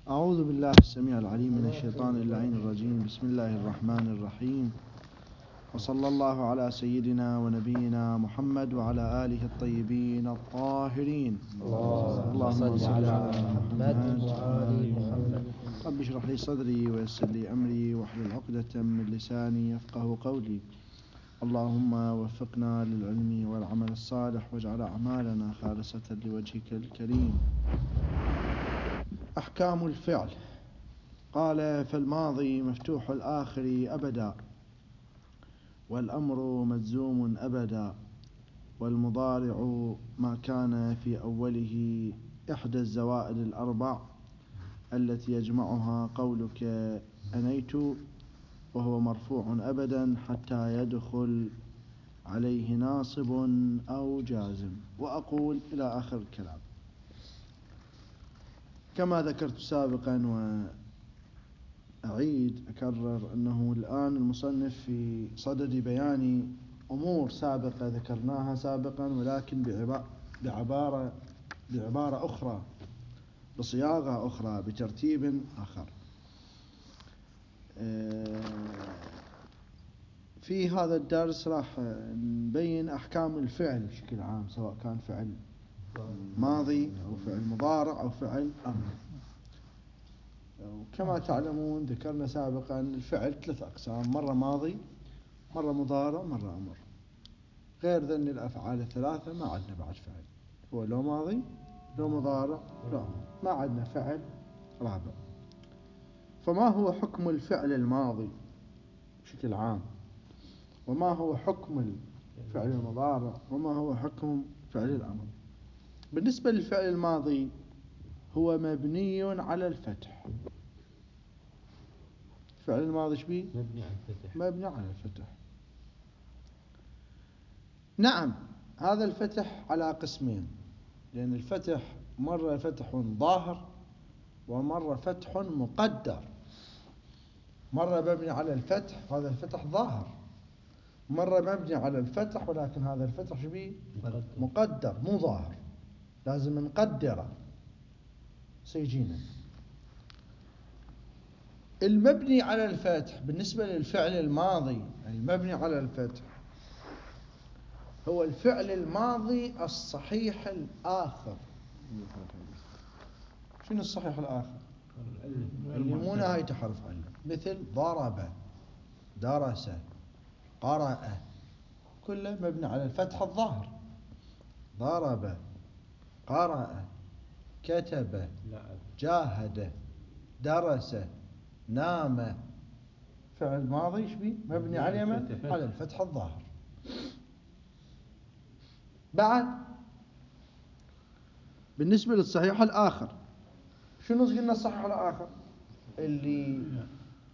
أعوذ بالله السميع العليم من الشيطان اللعين الرجيم. بسم الله الرحمن الرحيم، وصلى الله على سيدنا ونبينا محمد وعلى آله الطيبين الطاهرين. اللهم صل على محمد وآل محمد. رب اشرح لي صدري ويسر لي أمري واحلل عقدة من لساني يفقه قولي. اللهم وفقنا للعلم والعمل الصالح واجعل أعمالنا خالصة لوجهك الكريم. أحكام الفعل. قال: فالماضي مفتوح الآخر أبدا، والأمر مجزوم أبدا، والمضارع ما كان في أوله إحدى الزوائد الأربع التي يجمعها قولك أنيت، وهو مرفوع أبدا حتى يدخل عليه ناصب أو جازم. وأقول إلى آخر الكلام. كما ذكرت سابقا وأعيد أكرر أنه الآن المصنف في صدد بيان أمور سابقة ذكرناها سابقا، ولكن بعبارة أخرى، بصياغة أخرى، بترتيب آخر. في هذا الدرس راح نبين أحكام الفعل بشكل عام، سواء كان فعل ماضي أو فعل مضارع أو فعل أمر. وكما تعلمون ذكرنا سابقا الفعل 3 أقسام: مرة ماضي، مرة مضارع، مرة أمر. غير ذن الأفعال الثلاثة ما عندنا بعد فعل، هو لو ماضي لو مضارع لو أمر، ما عندنا فعل رابع. فما هو حكم الفعل الماضي بشكل عام؟ وما هو حكم الفعل المضارع؟ وما هو حكم فعل الأمر؟ بالنسبة للفعل الماضي هو مبني على الفتح. الفعل الماضي شبيه؟ مبني على الفتح. نعم، هذا الفتح على قسمين، لأن الفتح مرة فتح ظاهر ومرة فتح مقدر. مرة مبني على الفتح وهذا الفتح ظاهر، مرة مبني على الفتح ولكن هذا الفتح شبيه؟ مقدر مو ظاهر، لازم نقدره سيجينا. المبني على الفتح بالنسبة للفعل الماضي المبني على الفتح هو الفعل الماضي الصحيح الآخر. شنو الصحيح الآخر؟ اللي مو نهايته حرف علة، مثل ضرب، درس، قرأ، كله مبني على الفتح الظاهر. ضرب، قرأ، كتب، جاهد، درس، نام. فعل ماضي شبيه؟ مبني على من؟ على الفتح الظاهر. بعد بالنسبة للصحيح الآخر، شنو قلنا الصحيح الآخر؟ اللي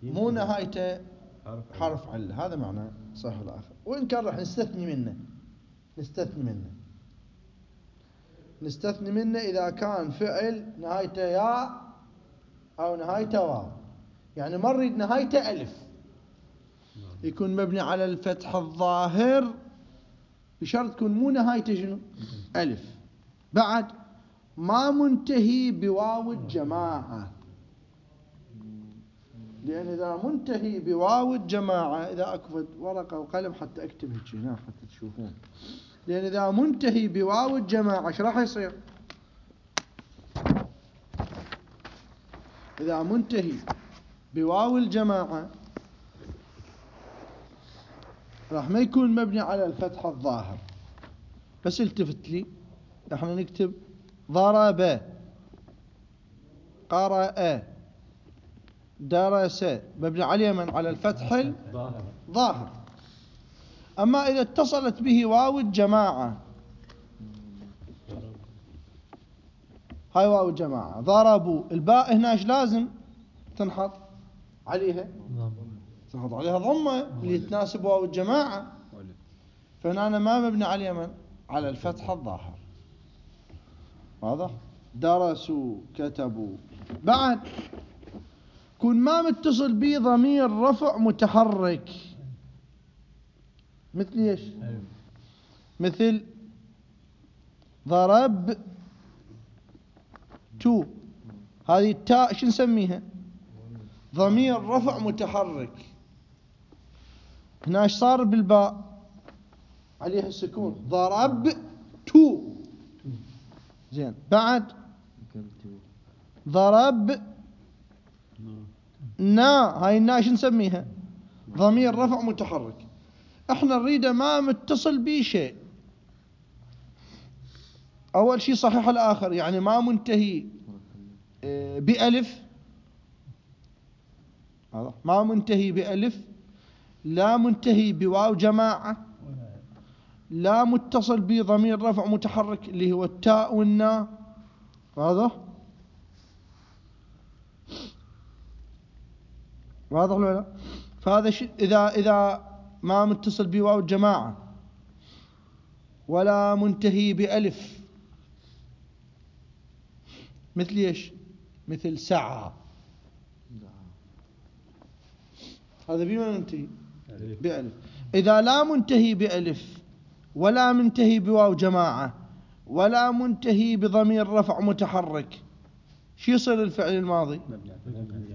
مو نهايته حرف علة، هذا معناه صحيح الآخر. وإن كان راح نستثني منه إذا كان فعل نهايته ياء أو نهايته واو. يعني ما نريد نهايته ألف، يكون مبني على الفتح الظاهر بشرط تكون مو نهايته شنو؟ ألف. بعد ما منتهي بواو الجماعة، لأن إذا منتهي بواو الجماعة، إذا أكفت ورقة وقلم حتى أكتب هيك هنا حتى تشوفون، لأن إذا منتهي بواو الجماعة ايش راح يصير؟ إذا منتهي بواو الجماعة راح ما يكون مبني على الفتح الظاهر. بس التفت لي، احنا نكتب ضرب، قرأ، درس، مبني عليه من؟ على الفتح الظاهر. أما إذا اتصلت به واو الجماعة، هاي واو الجماعة، ضربوا، الباء هنا ايش لازم تنحط عليها؟ تنحط عليها ضمة اللي تناسب واو الجماعة. فهنا أنا ما مبني عليه من؟ على الفتح الظاهر. واضح؟ درسوا، كتبوا. بعد كون ما متصل به ضمير رفع متحرك، مثل ايش؟ مثل ضرب تو، هذه التاء شو نسميها؟ ضمير رفع متحرك. هنا ايش صار بالباء؟ عليها السكون. ضربت. زين. بعد ضرب نا، هاي النا شو نسميها؟ ضمير رفع متحرك. احنا نريده ما متصل به شيء. اول شيء صحيح الاخر، يعني ما منتهي بألف، ما منتهي بألف، لا منتهي بواو جماعة، لا متصل به ضمير رفع متحرك اللي هو التاء والنا. واضح ولا لا؟ فهذا إذا ما متصل بواو الجماعة ولا منتهي بألف، مثل ايش؟ مثل سعى، هذا بما منتهي بألف. إذا لا منتهي بألف ولا منتهي بواو جماعة ولا منتهي بضمير رفع متحرك، شو يصير الفعل الماضي؟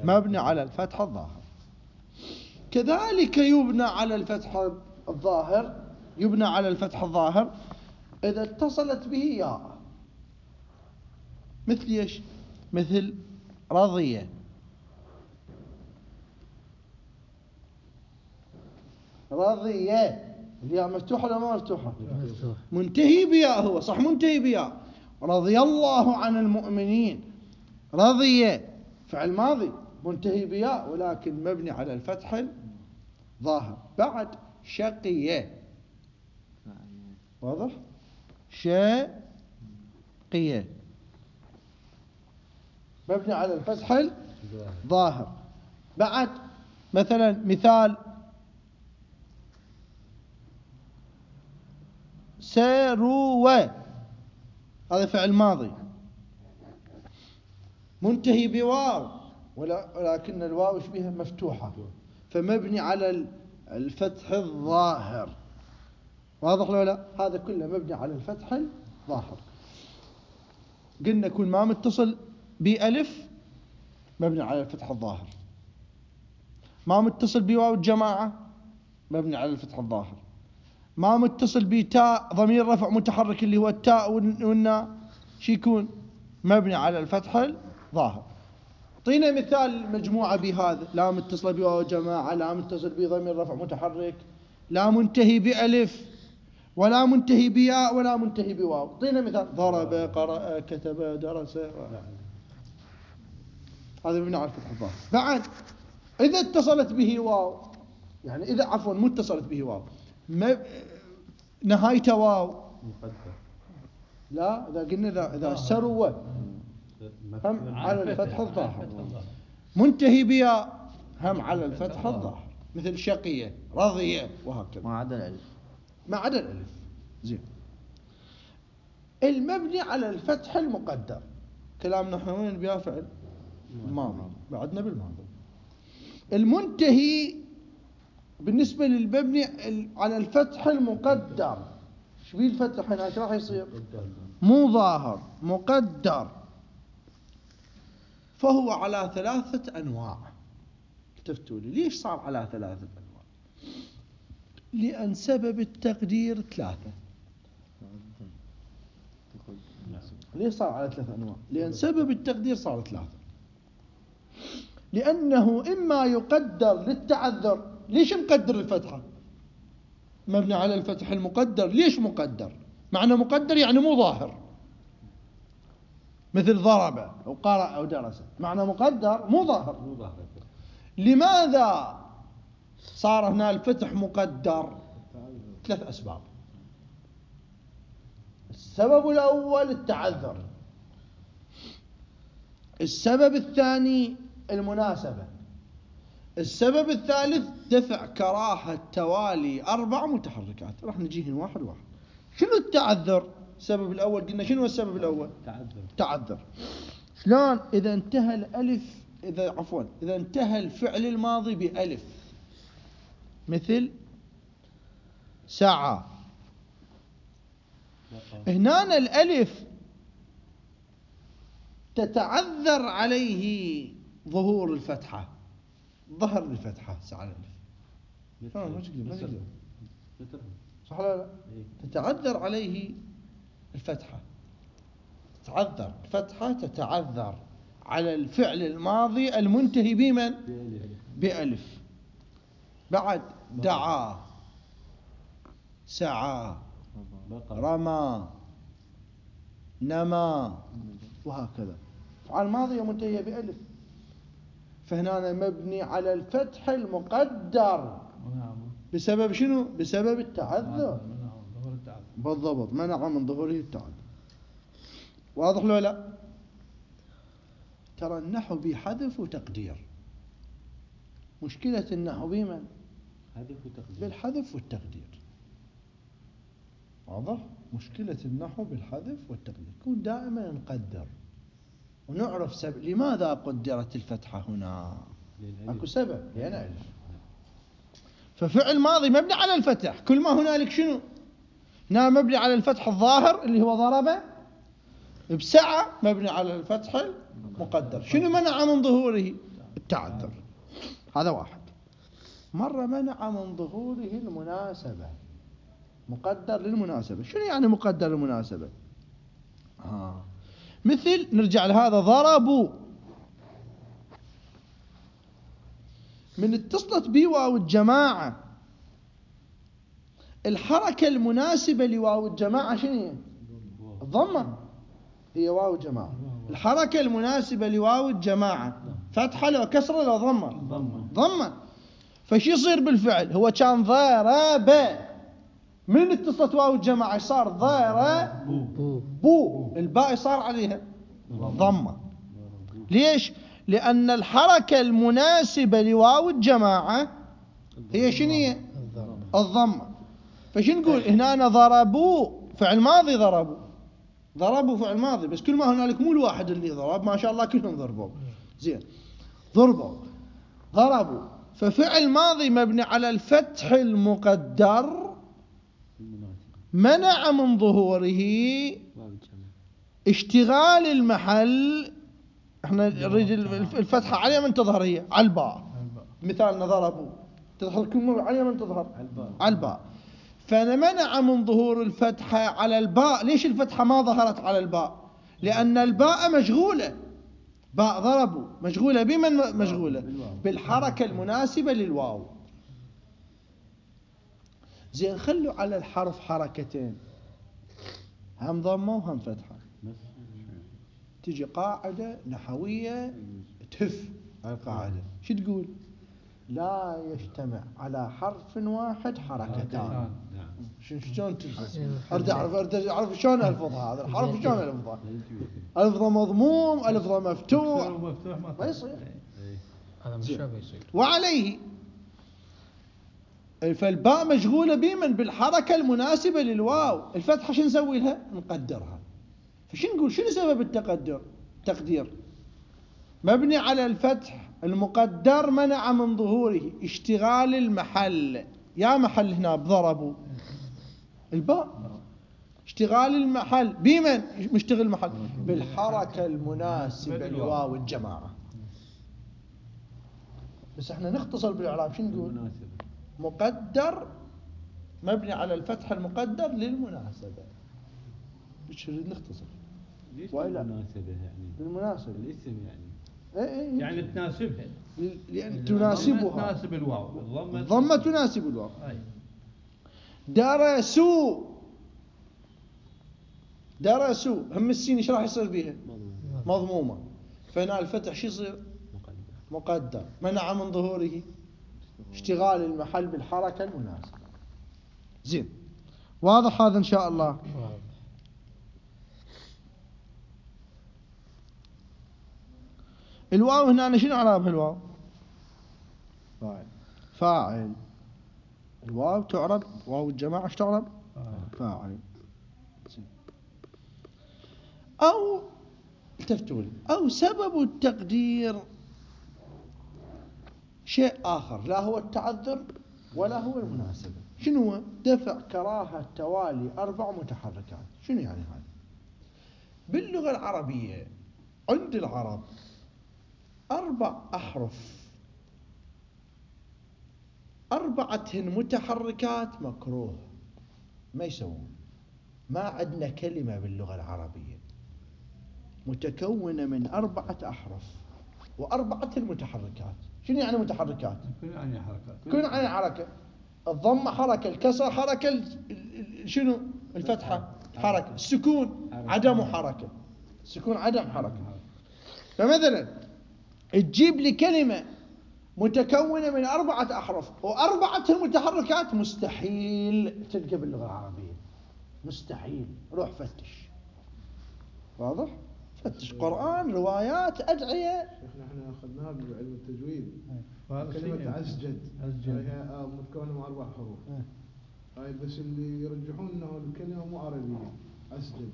مبني على الفتح الظاهر. كذلك يبنى على الفتح الظاهر، يبنى على الفتح الظاهر إذا اتصلت به ياء. مثل ايش؟ مثل رضية. رضية الياء مفتوحة ولا ما مفتوحة؟ منتهي بياء، هو صح منتهي بياء. رضي الله عن المؤمنين. رضية فعل ماضي منتهي بياء ولكن مبني على الفتح الظاهر. بعد شقية. واضح؟ شقية مبني على الفتح الظاهر. بعد مثلا مثال سروة، هذا فعل ماضي منتهي بواو ولكن الواو بها مفتوحة فمبني على الفتح الظاهر. واضح ولا لا؟ هذا كله مبني على الفتح الظاهر. قلنا كل ما متصل بألف مبني على الفتح الظاهر، ما متصل بواو الجماعة مبني على الفتح الظاهر، ما متصل بتاء ضمير رفع متحرك اللي هو التاء والنا شو يكون؟ مبني على الفتح الظاهر. اعطينا مثال مجموعة بهذا: لا متصل بواو جماعة، لا متصل بضمير رفع متحرك، لا منتهي بألف ولا منتهي بياء ولا منتهي بواو. اعطينا مثال: ضرب، قرأ، كتب، درس. هذا مبني على الفتح الظاهر. بعد إذا اتصلت به واو، يعني إذا عفوا متصلت به واو نهايته واو مقدر. لا إذا قلنا إذا سروة هم على الفتح الظاهر. منتهي بياء هم على الفتح الظاهر، مثل شقية، رضية، وهكذا ما عدا الألف. ما عدا الألف. زين. المبني على الفتح المقدر كلامنا احنا وين بيا؟ فعل الماضي، بعدنا بالماضي. المنتهي بالنسبة للمبني على الفتح المقدر، ايش بيه الفتح هنا؟ ايش راح يصير؟ مو ظاهر، مقدر. فهو على 3 أنواع. التفتوا لي ليش صار على 3 أنواع؟ لأن سبب التقدير 3. ليش صار على 3 أنواع؟ لأن سبب التقدير صار 3. لأنه إما يقدر للتعذر. ليش مقدر الفتحة؟ مبني على الفتح المقدر. ليش مقدر؟ معنى مقدر يعني مو ظاهر، مثل ضرب أو قرأ أو درس، معنى مقدر مو ظاهر. لماذا صار هنا الفتح مقدر؟ 3 أسباب. السبب الأول التعذر، السبب الثاني المناسبة، السبب الثالث دفع كراهة توالي 4 متحركات. راح نجيهن واحد واحد. شنو التعذر؟ السبب الأول قلنا شنو السبب الأول؟ تعذر. شلون؟ إذا انتهى الألف، إذا انتهى الفعل الماضي بألف، مثل سعى. هنا الألف تتعذر عليه ظهور الفتحة، ظهر الفتحة على الألف. ما تقدر صح ولا لا؟ تتعذر عليه الفتحة، تتعذر الفتحة، تتعذر على الفعل الماضي المنتهي بمن؟ بألف. بعد دعا، سعى، رمى، نمى، وهكذا أفعال ماضية منتهية بألف. فهنا مبني على الفتح المقدر بسبب شنو؟ بسبب التعذر. بالضبط، منع من ظهوره التعذر. واضح لو لا؟ ترى النحو بحذف وتقدير. مشكلة النحو بمن؟ بالحذف والتقدير. واضح؟ مشكلة النحو بالحذف والتقدير. يكون دائما نقدر ونعرف لماذا قدرت الفتحة هنا. اكو سبب، لأن ألف. ففعل ماضي مبني على الفتح، كل ما هنالك شنو؟ هنا مبني على الفتح الظاهر اللي هو ضرب، بسعى مبني على الفتح المقدر. شنو منع من ظهوره؟ التعذر. هذا واحد. مرة منع من ظهوره المناسبة، مقدر للمناسبة. شنو يعني مقدر للمناسبة؟ مثل نرجع لهذا ضربوا، من اتصلت بي واو الجماعة، الحركة المناسبة لواو الجماعة شنو هي؟ الضمة. هي واو الجماعة. الحركة المناسبة لواو الجماعة فتحة لو كسرة لو ضمة؟ ضمة. فشي يصير بالفعل؟ هو كان ضرب، من اتصلت واو الجماعة صار ضربوا، الباء صار عليها ضمة. ليش؟ لأن الحركة المناسبة لواو الجماعة هي شنو هي؟ الضمة. فشو نقول هنا؟ ضربوا فعل ماضي، ضربوا فعل ماضي، بس كل ما هنالك مو الواحد اللي ضرب، ما شاء الله كلهم ضربوا. زين، ضربوا. ففعل ماضي مبني على الفتح المقدر منع من ظهوره اشتغال المحل. احنا نريد الفتحة على من تظهر؟ هي على الباء. مثالنا ضربوا تظهر كل مرة على من تظهر؟ على الباء. فمنع من ظهور الفتحة على الباء. ليش الفتحة ما ظهرت على الباء؟ لأن الباء مشغولة، باء ضربوا مشغولة بمن؟ مشغولة بالحركة المناسبة للواو. زين، خلوا على الحرف حركتين، هم ضمة وهم فتحة. تجي قاعدة نحوية تهف على القاعدة. شو تقول؟ لا يجتمع على حرف واحد حركتان. شلون تلفظ؟ أريد أعرف شلون ألفظها. هذا الحرف شلون ألفظها؟ ألفظه مضموم، ألفظه مفتوح، ما يصير. هذا مش يصير. وعليه فالباء مشغولة بمن؟ بالحركة المناسبة للواو. الفتحة شو نسوي لها؟ نقدرها. فشو نقول؟ شنو سبب تقدير مبني على الفتح المقدر منع من ظهوره اشتغال المحل. يا محل هنا بضربوا الباء، اشتغال المحل بمن؟ مشتغل المحل بالحركة المناسبة لواو الجماعة. بس احنا نختصر بالإعراب. شو نقول؟ مقدر مبني على الفتح المقدر للمناسبة. مش نريد نختصر. وإلا المناسبة يعني بالمناسبة الاسم يعني يعني تناسبها، لأن تناسبها، تناسب الواو. الضمة تناسب الواو. درسوا هم السين ايش راح يصير بيها؟ مضمومة. فهنا الفتح شو يصير؟ مقدر منع من ظهوره اشتغال المحل بالحركة المناسبة. زين، واضح هذا إن شاء الله؟ الواو هنا شنو اعرابها؟ الواو فاعل. الواو تعرب واو الجماعة ايش تعرب؟ فاعل. أو التفتوا لي، أو سبب التقدير شيء آخر، لا هو التعذر ولا هو المناسبة. شنو هو؟ دفع كراهة توالي 4 متحركات. شنو يعني هذا؟ باللغة العربية عند العرب 4 أحرف 4 متحركات مكروه، ما يسوون. ما عندنا كلمة باللغة العربية متكونة من 4 أحرف و4 متحركات. شنو يعني متحركات؟ كل يعني حركات. كل يعني حركة. الضمة حركة، الكسرة حركة، شنو؟ الفتحة حركة، السكون عدم حركة، السكون عدم حركة. فمثلا تجيب لي كلمة متكونة من 4 أحرف و4 المتحركات، مستحيل تلقى باللغة العربية، مستحيل. روح فتش. واضح؟ فتش قرآن، روايات، أدعية. شيخنا احنا اخذناها بعلم التجويد. فارسي. كلمة عسجد عسجد. هي متكونة من 4 حروف. هاي بس اللي يرجحون انه الكلمة مو عربية. عسجد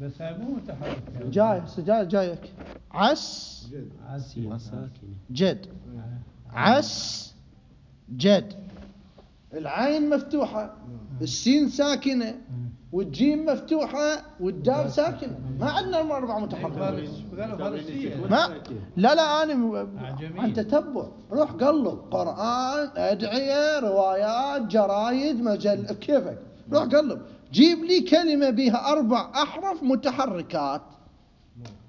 بس هاي مو متحرك. جايك عس جد. جد. عس جد. العين مفتوحة، السين ساكنة، والجيم مفتوحة، والدال ساكنة. ما عندنا 4 متحركات. ما لا أنا عن تتبع. روح قلب قرآن، أدعية، روايات، جرايد، مجل، كيفك. روح قلب جيب لي كلمة بها 4 أحرف متحركات.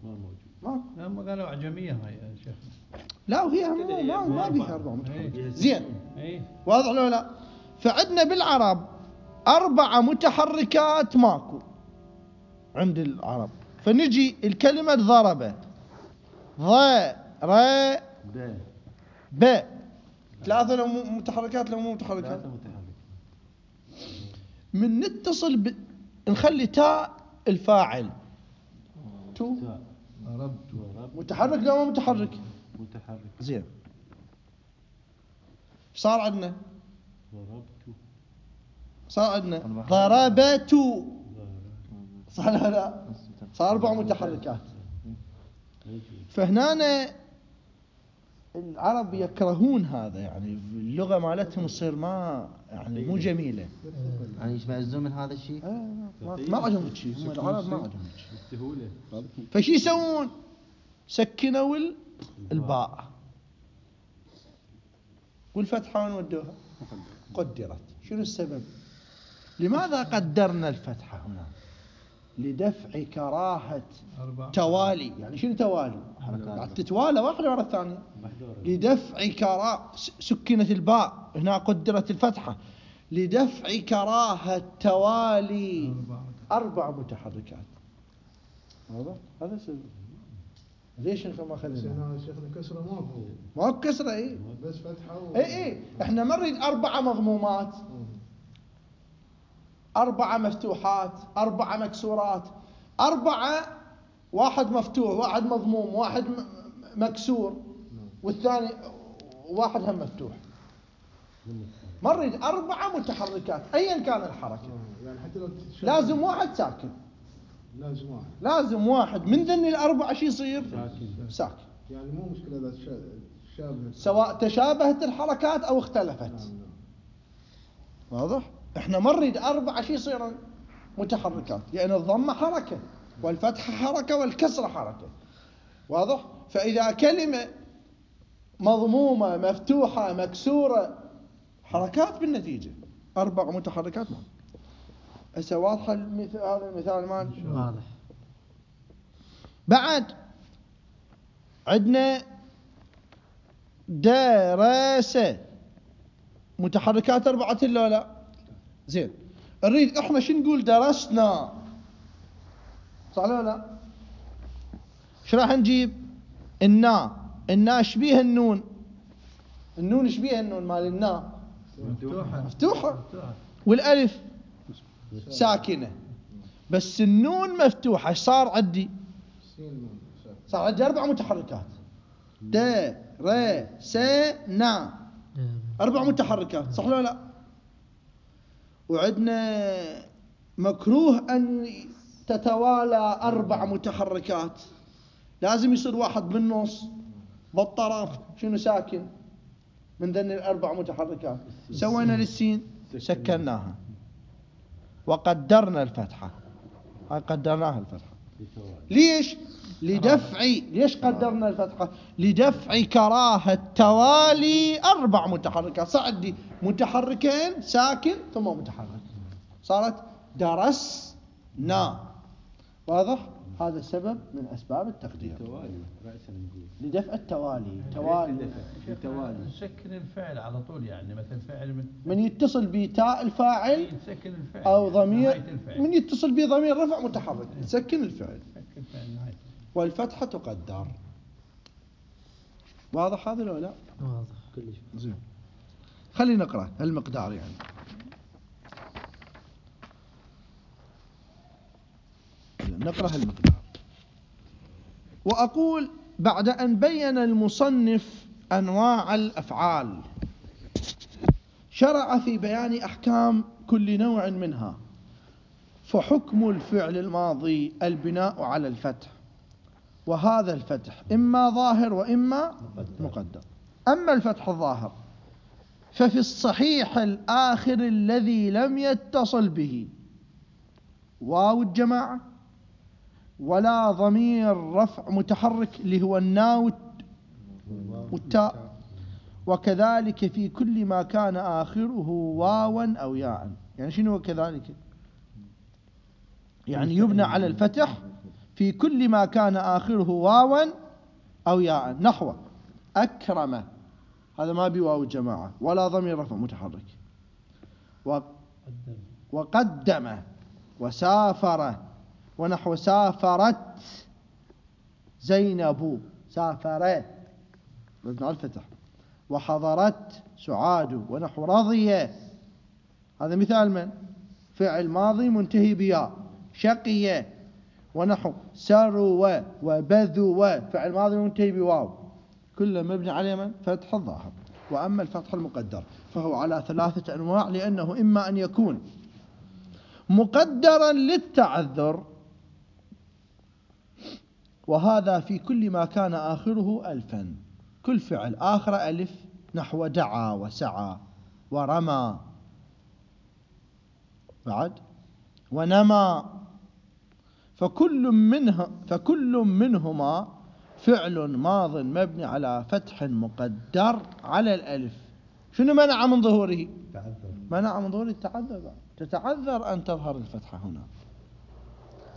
ما موجود. هم قالوا أعجمية هاي يا شيخ. لا وهي ما بيها 4 متحركات. زين ايه واضح لو لا؟ فعندنا بالعرب 4 متحركات ماكو عند العرب. فنجي الكلمة ضرب، ض ر ب، 3 لو متحركات لو مو متحركات. من نتصل نخلي تاء الفاعل تو متحرك لو مو متحرك؟ متحرك. زين صار عندنا ضربت، صار لا صار 4 متحركات. فهنا العرب يكرهون هذا، يعني اللغة مالتهم تصير ما يعني مو جميلة. يعني يشمئزون من هذا الشيء. ما عجبهم شيء، هم العرب ما عجبهم شيء. السهولة. فشي يسوون؟ سكنوا الباء والفتحة وين ودوها؟ قدرت. شنو السبب؟ لماذا قدرنا الفتحة هنا؟ لدفع كراهة توالي. يعني شنو توالي؟ قاعد تتوالى واحدة ورا الثانية. لدفع كراهة سكنت الباء هنا، قدرت الفتحة لدفع كراهة توالي 4 متحركات. هذا السبب. ليش ما خلينا؟ شيخنا كسرة ما كسرة. اي بس فتحة اي احنا ما نريد 4 مضمومات، 4 مفتوحات، 4 مكسورات، 4 واحد مفتوح، واحد مضموم، واحد مكسور، والثاني واحد هم مفتوح. ما نريد 4 متحركات أيا كان الحركة. يعني حتى لو لازم واحد ساكن. لازم واحد من ذني ال4 شي يصير ساكن. يعني مو مشكلة إذا شابه، سواء تشابهت الحركات أو اختلفت. واضح؟ احنا ما نريد 4 شي يصيرون متحركات، لأن الضمة حركة والفتحة حركة والكسرة حركة. واضح؟ فإذا كلمة مضمومة مفتوحة مكسورة، حركات بالنتيجة، 4 متحركات. هسه واضحة هذا المثال مال واضح. بعد عندنا دراسة متحركات 4 ولا لا؟ زين نريد احنا شو نقول؟ درسنا، صح ولا لا؟ شو راح نجيب؟ النا شبيه النون شبيه النون مال النا مفتوحة والالف ساكنة، بس النون مفتوحة. صار عندي 4 متحركات. د ر س نا 4 متحركات، صح ولا لا؟ وعندنا مكروه أن تتوالى 4 متحركات، لازم يصير واحد بالنص بالطرف شنو ساكن من ذن 4 متحركات. سوينا للسين سكناها وقدرنا الفتحة. هاي قدرناها الفتحة. ليش؟ لدفع، ليش قدرنا الفتحة؟ لدفع كراهة توالي 4 متحركات. صعد لي متحركين ساكن ثم متحرك، صارت درسنا. واضح؟ هذا سبب من أسباب التقدير. توالي رأسا نقول لدفع التوالي. توالي نسكن الفعل على طول، يعني مثل فعل من يتصل بتاء الفاعل نسكن الفعل أو يعني ضمير، من يتصل بضمير رفع متحرك نسكن الفعل، نسكن الفعل نهاية. والفتحة تقدر. واضح هذا ولا لا؟ واضح كلش. زين، خلينا نقرأ المقدار يعني. نقرأ المقدار. وأقول بعد أن بين المصنف أنواع الأفعال شرع في بيان أحكام كل نوع منها. فحكم الفعل الماضي البناء على الفتح، وهذا الفتح إما ظاهر وإما مقدر. أما الفتح الظاهر ففي الصحيح الآخر الذي لم يتصل به واو الجماعة ولا ضمير رفع متحرك اللي هو الناء والتاء، وكذلك في كل ما كان آخره واوا أو ياء. يعني شنو كذلك؟ يعني يبنى على الفتح في كل ما كان آخره واوا أو ياء. نحو أكرم، هذا ما بواو الجماعة ولا ضمير رفع متحرك. وقدم وسافر، ونحو سافرت زينب، سافرت مبني على الفتح. وحضرت سعاد، ونحو رضي، هذا مثال من فعل ماضي منتهي بياء. شقي، ونحو سروا وبذوا فعل ماضي منتهي بواو، كله مبني على من فتح الظاهر. وأما الفتح المقدر فهو على 3 أنواع، لأنه إما أن يكون مقدرا للتعذر، وهذا في كل ما كان آخره ألفا، كل فعل آخر ألف، نحو دعا وسعى ورمى بعد ونمى. فكل منهما فعل ماض مبني على فتح مقدر على الألف. شنو منع من ظهوره؟ منع من ظهور التعذر، تتعذر أن تظهر الفتحة هنا.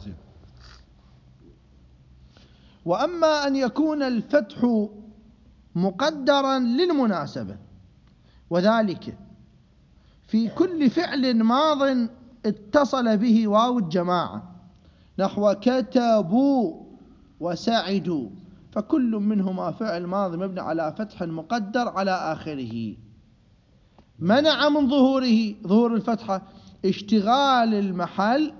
زين. وأما أن يكون الفتح مقدرا للمناسبة، وذلك في كل فعل ماض اتصل به واو الجماعة، نحو كتبوا وسعدوا، فكل منهما فعل ماضي مبني على فتح مقدر على آخره. منع من ظهور الفتحة اشتغال المحل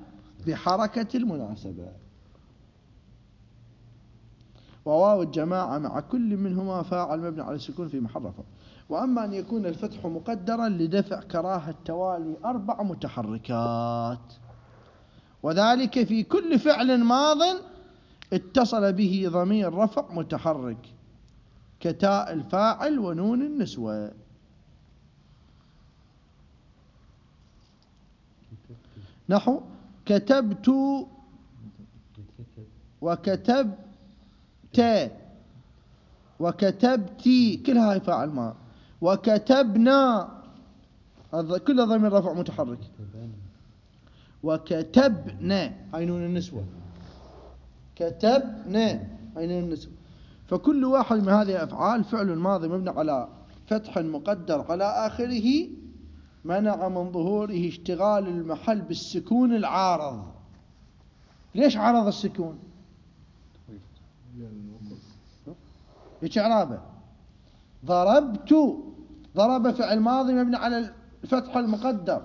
بحركة المناسبة. وواو الجماعة مع كل منهما فاعل مبني على السكون في محل رفع. وأما أن يكون الفتح مقدرا لدفع كراهة توالي 4 متحركات، وذلك في كل فعل ماض اتصل به ضمير رفع متحرك كتاء الفاعل ونون النسوة. نحو كتبت وكتبت وكتبتي، كلها هاي فاعل ما. وكتبنا، هذا كله ضمير رفع متحرك. وكتبنا هاي نون النسوة، كتبنا هاي نون النسوة. فكل واحد من هذه الأفعال فعل ماضي مبني على فتح مقدر على آخره، منع من ظهوره اشتغال المحل بالسكون العارض. ليش عرض السكون؟ ايش اعرابه؟ ضربت، ضرب فعل ماضي مبني على الفتح المقدر،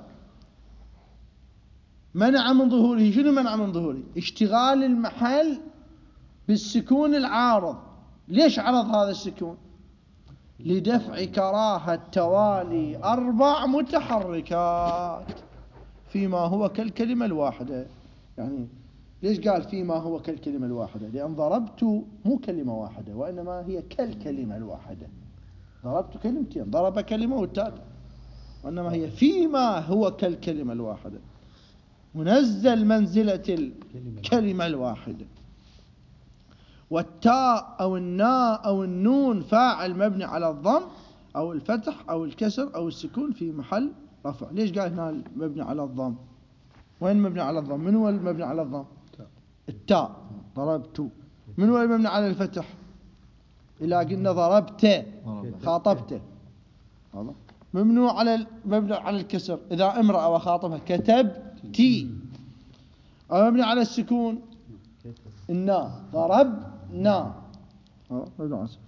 منع من ظهوره. شنو منع من ظهوره؟ اشتغال المحل بالسكون العارض. ليش عرض هذا السكون؟ لدفع كراهة توالي 4 متحركات فيما هو كالكلمة الواحدة. يعني ليش قال فيما هو كالكلمة الواحدة؟ لأن ضربت مو كلمة واحدة، وإنما هي كالكلمة الواحدة. ضربت كلمتين، ضرب كلمة والتالي، وإنما هي فيما هو كالكلمة الواحدة، منزل منزلة الكلمة الواحدة. والتاء أو الناء أو النون فاعل مبني على الضم أو الفتح أو الكسر أو السكون في محل رفع. ليش قال هنا مبني على الضم؟ وين مبني على الضم؟ من هو المبني على الضم؟ التاء، ضربت. من هو المبني على الفتح؟ إذا قلنا ضربت خاطبته، مبني على الكسر إذا امرأة وخاطبها كتبتي. مبني على السكون النا ضربنا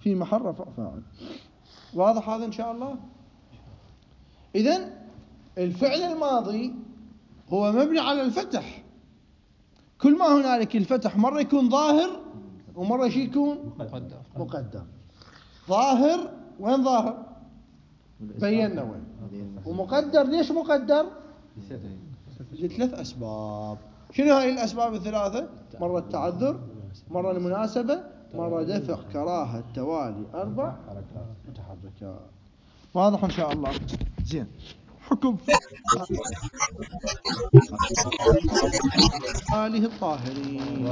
في محل رفع فاعل. واضح هذا إن شاء الله؟ إذن الفعل الماضي هو مبني على الفتح، كل ما هنالك الفتح مرة يكون ظاهر ومرة يكون مقدر. ظاهر، وين ظاهر؟ بينا وين. ومقدر، ليش مقدر؟ لثلاث أسباب. شنو هاي الأسباب الثلاثة؟ مرة التعذر، مرة المناسبة، مرة دفع كراهة توالي 4 متحركات. واضح إن شاء الله؟ زين. حكم آله الطاهرين.